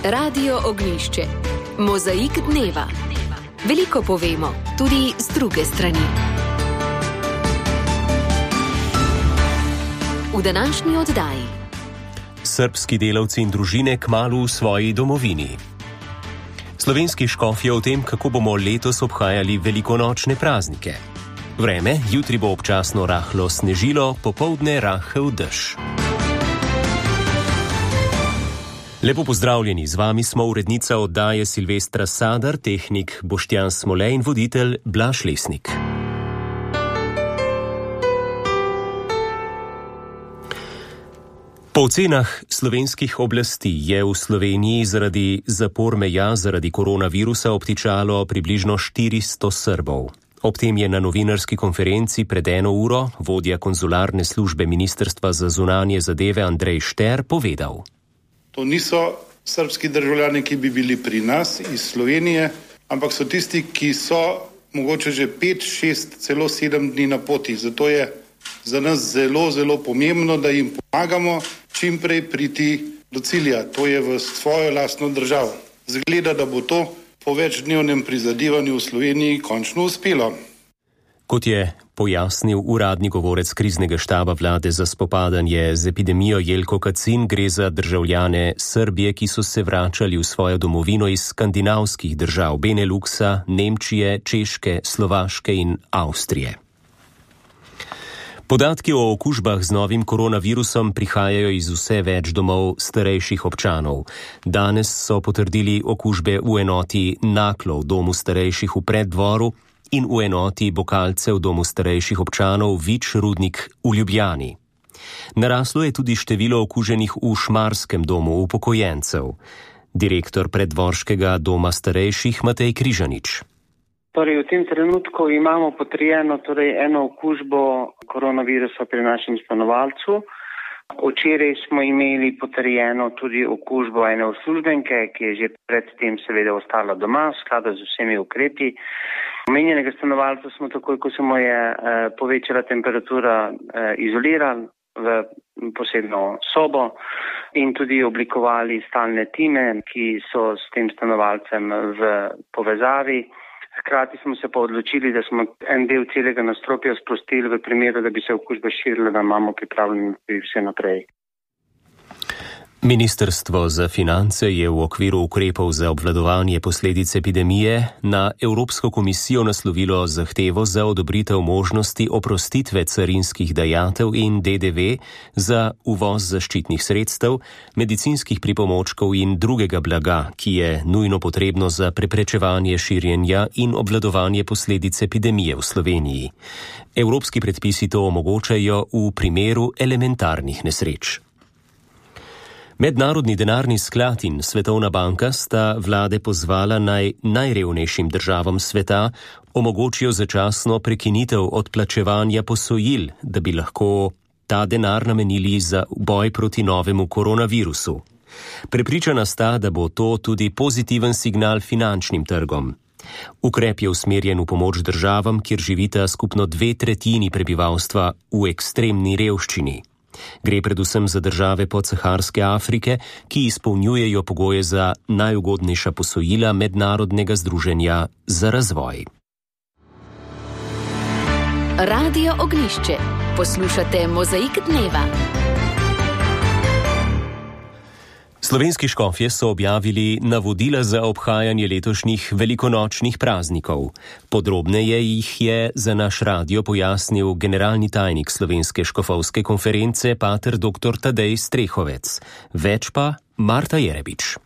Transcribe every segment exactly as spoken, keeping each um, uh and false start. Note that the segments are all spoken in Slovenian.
Radio Ognjišče. Mozaik dneva. Veliko povemo, tudi z druge strani. V današnji oddaji. Srbski delavci in družine kmalu v svoji domovini. Slovenski škofje o tem, kako bomo letos obhajali velikonočne praznike. Vreme, jutri bo občasno rahlo snežilo, popoldne rahel dež. Lepo pozdravljeni, z vami smo urednica oddaje Silvestra Sadar, tehnik Boštjan Smole in voditelj Blaž Lesnik. Po ocenah slovenskih oblasti je v Sloveniji zaradi zapor meja zaradi koronavirusa obtičalo približno štiristo Srbov. Ob tem je na novinarski konferenci pred eno uro vodja konzularne službe Ministrstva za zunanje zadeve Andrej Šter povedal. To niso srbski državljani, ki bi bili pri nas iz Slovenije, ampak so tisti, ki so mogoče že pet, šest, celo sedem dni na poti. Zato je za nas zelo, zelo pomembno, da jim pomagamo čim prej priti do cilja. To je v svojo lastno državo. Zgleda, da bo to po večdnevnem prizadevanju v Sloveniji končno uspelo. Kot je pojasnil uradni govorec kriznega štaba vlade za spopadanje z epidemijo Jelko Kacin, gre za državljane Srbije, ki so se vračali v svojo domovino iz skandinavskih držav Beneluksa, Nemčije, Češke, Slovaške in Avstrije. Podatki o okužbah z novim koronavirusom prihajajo iz vse več domov starejših občanov. Danes so potrdili okužbe v enoti Naklo v domu starejših v Preddvoru in v enoti Bokalce v domu starejših občanov Vič Rudnik v Ljubljani. Naraslo je tudi število okuženih v Šmarskem domu upokojencev. Direktor Preddvorškega doma starejših Matej Križanič. Torej, v tem trenutku imamo potrjeno torej, eno okužbo koronavirusa pri našem stanovalcu. Včeraj smo imeli potrjeno tudi okužbo ene uslužbenke, ki je že predtem seveda ostala doma v skladu z vsemi ukrepi. Omenjenega stanovalca smo takoj, ko se mu je eh, povečala temperatura, eh, izolirali v posebno sobo in tudi oblikovali stalne time, ki so s tem stanovalcem v povezavi. Hkrati smo se pa odločili, da smo en del celega nadstropja sprostili v primeru, da bi se okužba širila, da imamo pripravljeno vse naprej. Ministrstvo za finance je v okviru ukrepov za obvladovanje posledic epidemije na Evropsko komisijo naslovilo zahtevo za odobritev možnosti oprostitve carinskih dajatev in D D V za uvoz zaščitnih sredstev, medicinskih pripomočkov in drugega blaga, ki je nujno potrebno za preprečevanje širjenja in obvladovanje posledic epidemije v Sloveniji. Evropski predpisi to omogočajo v primeru elementarnih nesreč. Mednarodni denarni sklad in Svetovna banka sta vlade pozvala naj najrevnejšim državam sveta omogočijo začasno prekinitev odplačevanja posojil, da bi lahko ta denar namenili za boj proti novemu koronavirusu. Prepričana sta, da bo to tudi pozitiven signal finančnim trgom. Ukrep je usmerjen v pomoč državam, kjer živita skupno dve tretjini prebivalstva v ekstremni revščini. Gre predvsem za države podsaharske Afrike, ki izpolnjujejo pogoje za najugodnejša posojila Mednarodnega združenja za razvoj. Radio Ognjišče. Poslušate Mozaik dneva. Slovenski škofje so objavili navodila za obhajanje letošnjih velikonočnih praznikov. Podrobneje jih je za naš radio pojasnil generalni tajnik Slovenske škofovske konference pater doktor Tadej Strehovec. Več pa Marta Jerebič.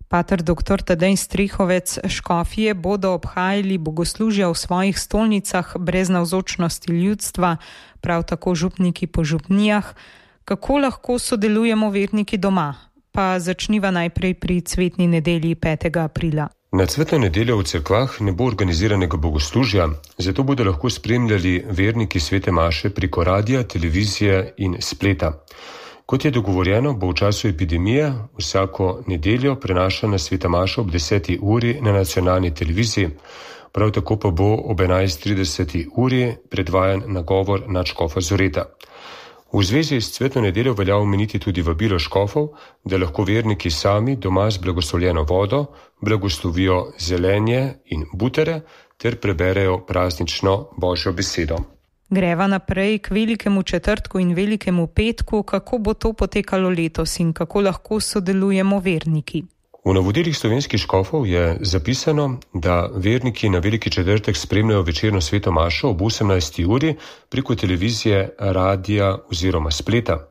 Pater doktor Tadej Strehovec, škofje bodo obhajali bogoslužja v svojih stolnicah brez navzočnosti ljudstva, prav tako župniki po župnijah. Kako lahko sodelujemo verniki doma? Pa začniva najprej pri cvetni nedelji petega aprila. Na cvetno nedeljo v cerkvah ne bo organiziranega bogoslužja, zato bodo lahko spremljali verniki svete maše preko radia, televizije in spleta. Kot je dogovorjeno, bo v času epidemije vsako nedeljo prenašana sveta maša ob deseti uri na nacionalni televiziji, prav tako pa bo ob enajst trideset uri predvajan nagovor nadškofa Zoreta. V zvezi s cvetno nedeljo velja omeniti tudi vabilo škofov, da lahko verniki sami doma z blagoslovljeno vodo blagoslovijo zelenje in butere ter preberejo praznično Božjo besedo. Greva naprej k velikemu četrtku in velikemu petku. Kako bo to potekalo letos in kako lahko sodelujemo verniki? V navodilih slovenskih škofov je zapisano, da verniki na veliki četrtek spremljajo večerno sveto mašo ob osemnajsti uri preko televizije, radija oziroma spleta.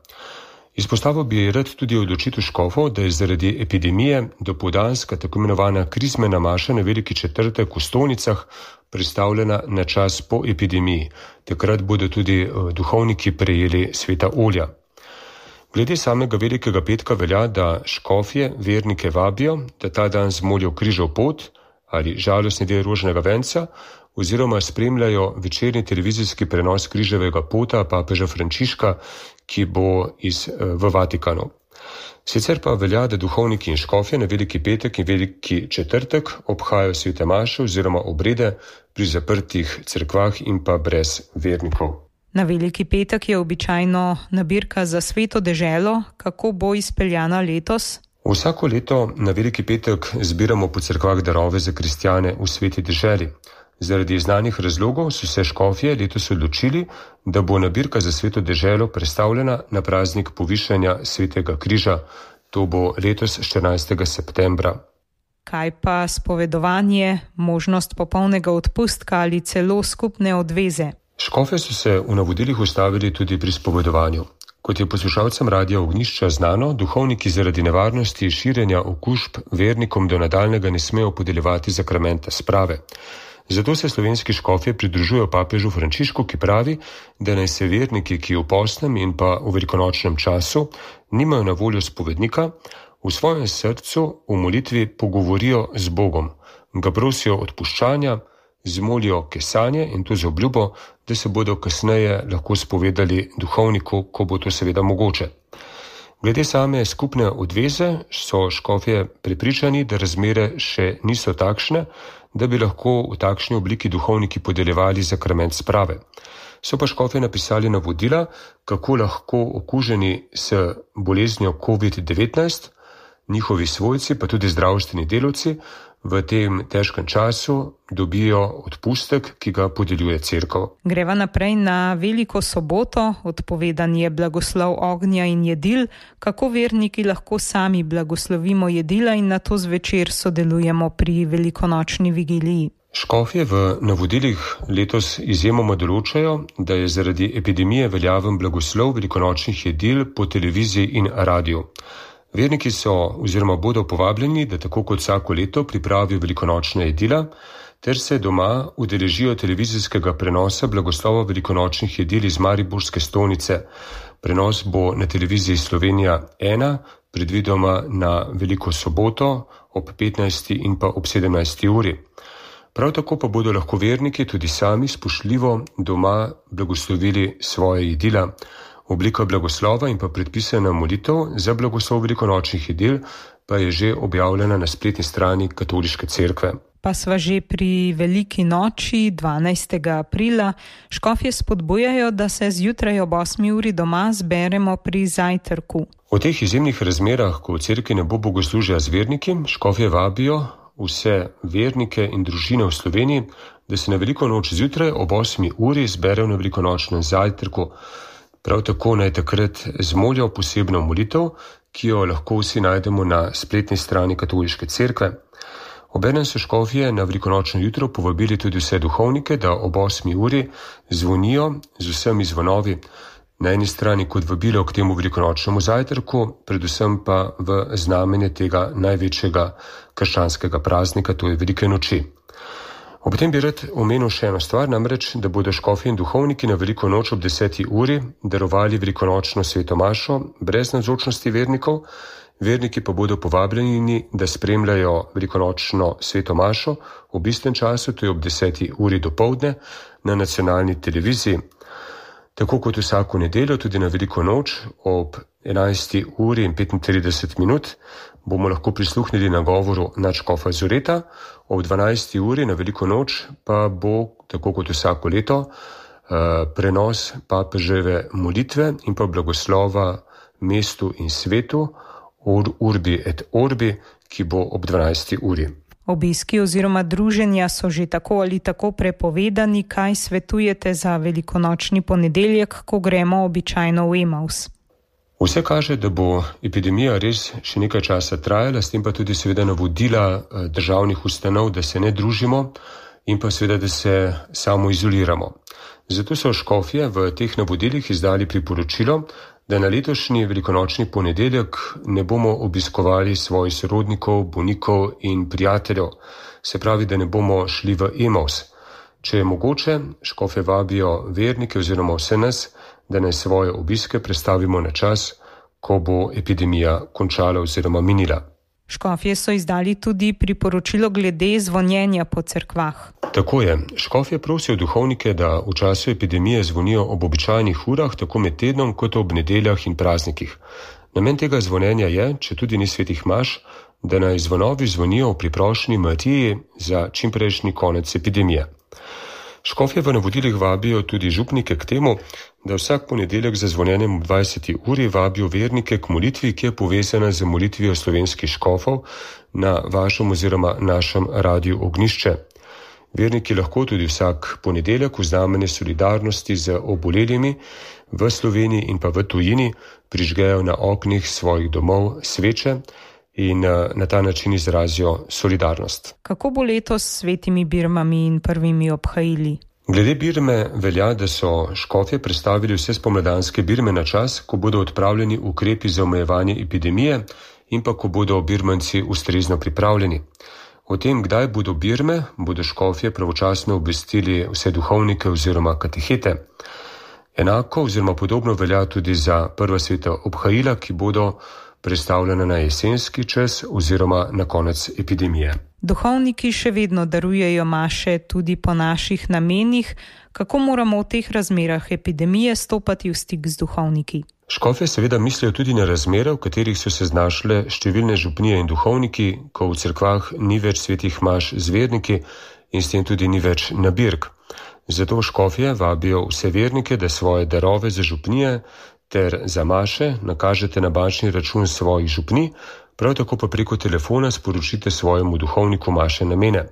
Izpostavil bi rad tudi odločitev škofov, da je zaradi epidemije dopoldanska tako imenovana krizmena maša na veliki četrtek v stolnicah prestavljena na čas po epidemiji. Takrat bodo tudi duhovniki prejeli sveta olja. Glede samega velikega petka velja, da škofje vernike vabijo, da ta dan zmolijo križev pot ali žalostni del rožnega venca oziroma spremljajo večerni televizijski prenos križevega pota papeža Frančiška, ki bo iz, v Vatikanu. Sicer pa velja, da duhovniki in škofje na veliki petek in veliki četrtek obhajajo svete maše oziroma obrede pri zaprtih cerkvah in pa brez vernikov. Na veliki petek je običajno nabirka za sveto deželo. Kako bo izpeljana letos? Vsako leto na veliki petek zbiramo po cerkvah darove za kristjane v sveti deželi. Zaradi znanih razlogov so se škofje letos odločili, da bo nabirka za sveto deželo prestavljena na praznik povišanja svetega križa. To bo letos štirinajstega septembra. Kaj pa spovedovanje, možnost popolnega odpustka ali celo skupne odveze? Škofje so se v navodilih ustavili tudi pri spovedovanju. Kot je poslušalcem Radia Ognjišča znano, duhovniki zaradi nevarnosti širjenja okužb vernikom do nadaljnjega ne smejo podeljevati zakramenta sprave. Zato se slovenski škofje pridružujejo papežu Frančišku, ki pravi, da naj se verniki, ki v postnem in pa v velikonočnem času nimajo na voljo spovednika, v svojem srcu v molitvi pogovorijo z Bogom, ga prosijo odpuščanja, zmolijo kesanje in to z obljubo, da se bodo kasneje lahko spovedali duhovniku, ko bo to seveda mogoče. Glede same skupne odveze so škofje prepričani, da razmere še niso takšne, da bi lahko v takšni obliki duhovniki podeljevali zakrament sprave. So pa škofje napisali navodila, kako lahko okuženi s boleznjo covid devetnajst, njihovi svojci pa tudi zdravstveni delavci v tem težkem času dobijo odpustek, ki ga podeljuje cerkev. Greva naprej na veliko soboto. Odpovedan je blagoslov ognja in jedil. Kako verniki lahko sami blagoslovimo jedila in nato zvečer sodelujemo pri velikonočni vigiliji? Škofje v navodilih letos izjemoma določajo, da je zaradi epidemije veljaven blagoslov velikonočnih jedil po televiziji in radiju. Verniki so oziroma bodo povabljeni, da tako kot vsako leto pripravijo velikonočna jedila, ter se doma udeležijo televizijskega prenosa blagoslova velikonočnih jedil iz mariborske stolnice. Prenos bo na televiziji Slovenija ena, predvidoma na veliko soboto ob petnajsti in pa ob sedemnajsti uri. Prav tako pa bodo lahko verniki tudi sami spoštljivo doma blagoslovili svoje jedila. Oblika blagoslova in pa predpisana molitev za blagoslov velikonočnih jedil pa je že objavljena na spletni strani Katoliške cerkve. Pa sva že pri veliki noči dvanajstega aprila. Škofje spodbujajo, da se zjutraj ob osmi uri doma zberemo pri zajtrku. V teh izjemnih razmerah, ko v cerkvi ne bo bogoslužja z verniki, škofje vabijo vse vernike in družine v Sloveniji, da se na veliko noč zjutraj ob osmi uri zberejo na velikonočnem zajtrku. Prav tako naj takrat zmolijo posebno molitev, ki jo lahko vsi najdemo na spletni strani Katoliške cerkve. Obenem so škofje na velikonočno jutro povabili tudi vse duhovnike, da ob osmi uri zvonijo z vsemi zvonovi. Na eni strani kot vabilo k temu velikonočnemu zajtrku, predvsem pa v znamenje tega največjega krščanskega praznika, to je velike noči. Ob tem bi rad omenil še eno stvar, namreč, da bodo škofje in duhovniki na veliko noč ob deseti uri darovali velikonočno sveto mašo brez navzočnosti vernikov. Verniki pa bodo povabljeni, da spremljajo velikonočno sveto mašo ob istem času, to je ob deseti uri dopoldne na nacionalni televiziji. Tako kot vsako nedeljo, tudi na veliko noč ob enajsti uri in petintrideset minut bomo lahko prisluhnili nagovoru nadškofa Zureta, ob dvanajsti uri na veliko noč pa bo, tako kot vsako leto, prenos papeževe molitve in pa blagoslova mestu in svetu Urbi et Orbi, ki bo ob dvanajsti uri. Obiski oziroma druženja so že tako ali tako prepovedani. Kaj svetujete za velikonočni ponedeljek, ko gremo običajno v Emaus? Vse kaže, da bo epidemija res še nekaj časa trajala, s tem pa tudi seveda navodila državnih ustanov, da se ne družimo in pa seveda, da se samo izoliramo. Zato so škofje v teh navodilih izdali priporočilo, da na letošnji velikonočni ponedeljek ne bomo obiskovali svojih sorodnikov, bolnikov in prijateljev, se pravi, da ne bomo šli v Emaus. Če je mogoče, škofje vabijo vernike oziroma vse nas, da naj svoje obiske prestavimo na čas, ko bo epidemija končala oziroma minila. Škofje so izdali tudi priporočilo glede zvonjenja po cerkvah. Tako je. Škofje prosijo duhovnike, da v času epidemije zvonijo ob običajnih urah, tako med tednom kot ob nedeljah in praznikih. Namen tega zvonjenja je, če tudi ni svetih maš, da naj zvonovi zvonijo v priprošnji Matiji za čimprejšnji konec epidemije. Škofje v navodilih vabijo tudi župnike k temu, da vsak ponedeljek za zvonjenjem ob dvajseti uri vabijo vernike k molitvi, ki je povezana z molitvijo slovenskih škofov na vašem oziroma našem radiju Ognjišče. Verniki lahko tudi vsak ponedeljek v znamenje solidarnosti z obolelimi v Sloveniji in pa v tujini prižgejo na oknih svojih domov sveče in na ta način izrazijo solidarnost. Kako bo letos s svetimi birmami in prvimi obhajili? Glede birme velja, da so škofje predstavili vse spomladanske birme na čas, ko bodo odpravljeni ukrepi za omejevanje epidemije in pa ko bodo birmanci ustrezno pripravljeni. O tem, kdaj bodo birme, bodo škofje pravočasno obvestili vse duhovnike oziroma katehete. Enako oziroma podobno velja tudi za prva sveta obhajila, ki bodo predstavljena na jesenski čas oziroma na konec epidemije. Duhovniki še vedno darujejo maše tudi po naših namenih. Kako moramo v teh razmerah epidemije stopati v stik z duhovniki? Škofje seveda mislijo tudi na razmere, v katerih so se znašle številne župnije in duhovniki, ko v cerkvah ni več svetih maš z verniki in s tem tudi ni več nabirk. Zato škofje vabijo vse vernike, da svoje darove za župnije ter za maše nakažete na bančni račun svojih župnij, prav tako pa preko telefona sporočite svojemu duhovniku maše namene.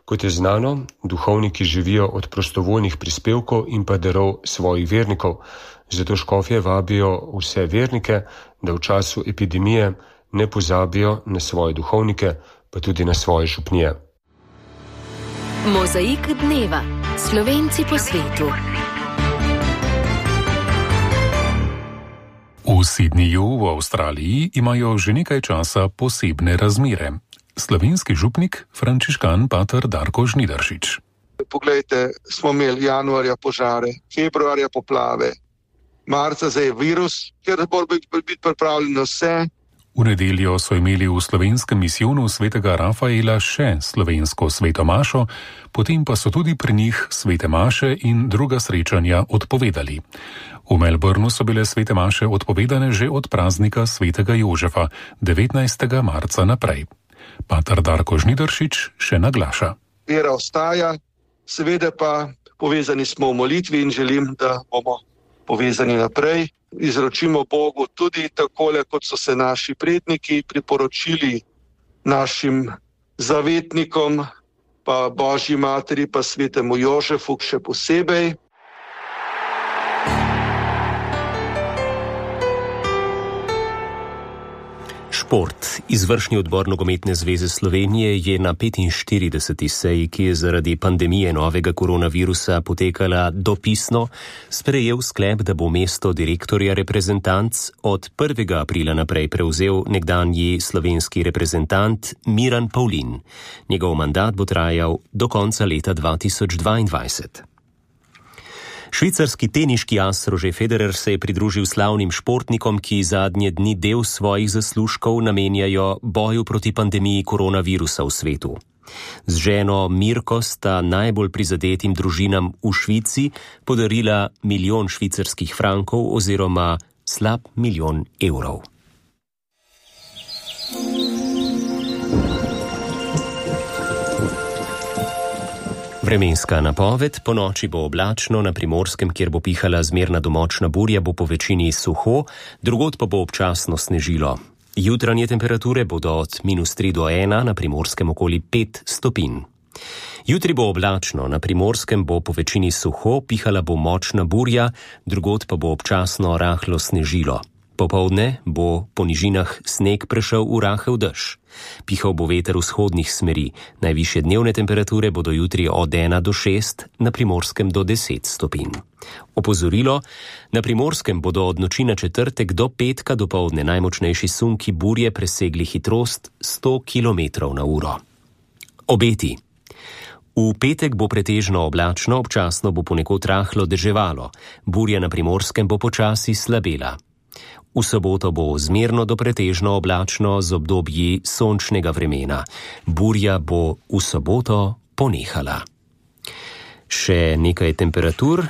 Kot je znano, duhovniki živijo od prostovoljnih prispevkov in pa darov svojih vernikov, zato škofje vabijo vse vernike, da v času epidemije ne pozabijo na svoje duhovnike, pa tudi na svoje župnije. Mozaik dneva. Slovenci po svetu. V Sydneyju v Avstraliji imajo že nekaj časa posebne razmere. Slovenski župnik, frančiškan pater Darko Žnidaršič. Poglejte, smo imeli januarja požare, februarja poplave, marca zdaj virus, ker mora biti pripravljeno vse. V nedeljo so imeli v slovenskem misijonu svetega Rafaela še slovensko sveto mašo, potem pa so tudi pri njih svete maše in druga srečanja odpovedali. V Melbourneu so bile svete maše odpovedane že od praznika svetega Jožefa, devetnajstega marca naprej. Pater Darko Žnidaršič še naglaša. Vera ostaja, seveda pa povezani smo v molitvi in želim, da bomo povezani naprej. Izročimo Bogu tudi takole, kot so se naši predniki priporočili našim zavetnikom, pa Božji materi, pa svetemu Jožefu še posebej. Šport. Izvršni odbor Nogometne zveze Slovenije je na petinštirideseti seji, ki je zaradi pandemije novega koronavirusa potekala dopisno, sprejel sklep, da bo mesto direktorja reprezentanc od prvega aprila naprej prevzel nekdanji slovenski reprezentant Miran Pavlin. Njegov mandat bo trajal do konca leta dva tisoč dvaindvajset. Švicarski teniški as Roger Federer se je pridružil slavnim športnikom, ki zadnje dni del svojih zaslužkov namenjajo boju proti pandemiji koronavirusa v svetu. Z ženo Mirko sta najbolj prizadetim družinam v Švici podarila milijon švicarskih frankov oziroma slab milijon evrov. Vremenska napoved: po noči bo oblačno, na Primorskem, kjer bo pihala zmerna do močna burja, bo po večini suho, drugod pa bo občasno snežilo. Jutranje temperature bodo od minus tri do ena, na Primorskem okoli pet stopinj. Jutri bo oblačno, na Primorskem bo po večini suho, pihala bo močna burja, drugod pa bo občasno rahlo snežilo. Popoldne bo po nižinah sneg prešel v rahel dež. Pihal bo veter vzhodnih smeri. Najvišje dnevne temperature bodo jutri od ena do šest, na Primorskem do deset stopinj. Opozorilo: na Primorskem bodo od noči na četrtek do petka dopoldne najmočnejši sunki burje presegli hitrost sto kilometrov na uro. Obeti. V petek bo pretežno oblačno, občasno bo ponekod rahlo deževalo. Burja na Primorskem bo počasi slabela. V soboto bo zmerno do pretežno oblačno z obdobji sončnega vremena. Burja bo v soboto ponehala. Še nekaj temperatur.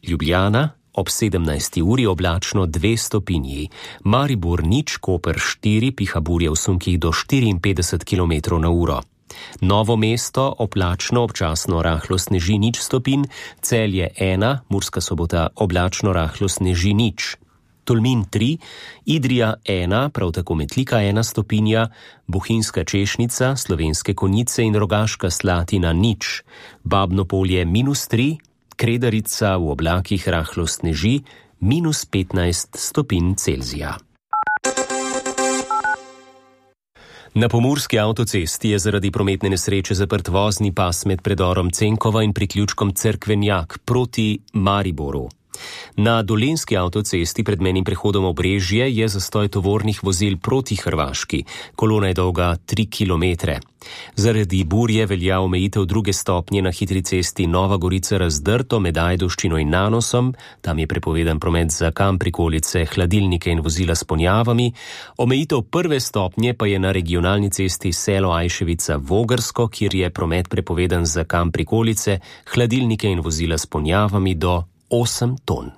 Ljubljana ob sedemnajsti uri oblačno dve stopinji. Maribor nič, Koper štiri, piha burja v sunkih do štiriinpetdeset kilometrov na uro. Novo mesto oblačno, občasno rahlo sneži nič stopinj. Celje ena, Murska Sobota oblačno, rahlo sneži nič. Tolmin tri, Idrija ena, prav tako Metlika ena stopinja, Bohinjska Češnica, Slovenske Konjice in Rogaška Slatina nič. Babno Polje minus tri, Kredarica v oblakih rahlo sneži, minus petnajst stopinj Celzija. Na pomurski avtocesti je zaradi prometne nesreče zaprt vozni pas med predorom Cenkova in priključkom Cerkvenjak proti Mariboru. Na dolenjski avtocesti pred mejnim prehodom Obrežje je zastoj tovornih vozil proti Hrvaški. Kolona je dolga tri kilometre. Zaradi burje velja omejitev druge stopnje na hitri cesti Nova Gorica-Razdrto med Ajdovščino in Nanosom. Tam je prepovedan promet za kam prikolice, hladilnike in vozila s ponjavami. Omejitev prve stopnje pa je na regionalni cesti Selo Ajševica-Vogrsko, kjer je promet prepovedan za kam prikolice, hladilnike in vozila s ponjavami do osem ton.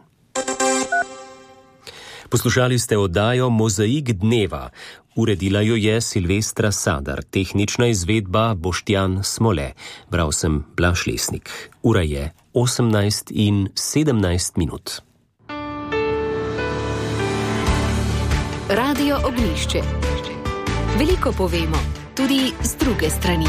Poslušali ste oddajo Mozaik dneva. Uredila jo je Silvestra Sadar, tehnična izvedba Boštjan Smole. Bral sem Blaž Lesnik. Ura je osemnajst in sedemnajst minut. Radio Ognjišče. Veliko povemo, tudi z druge strani.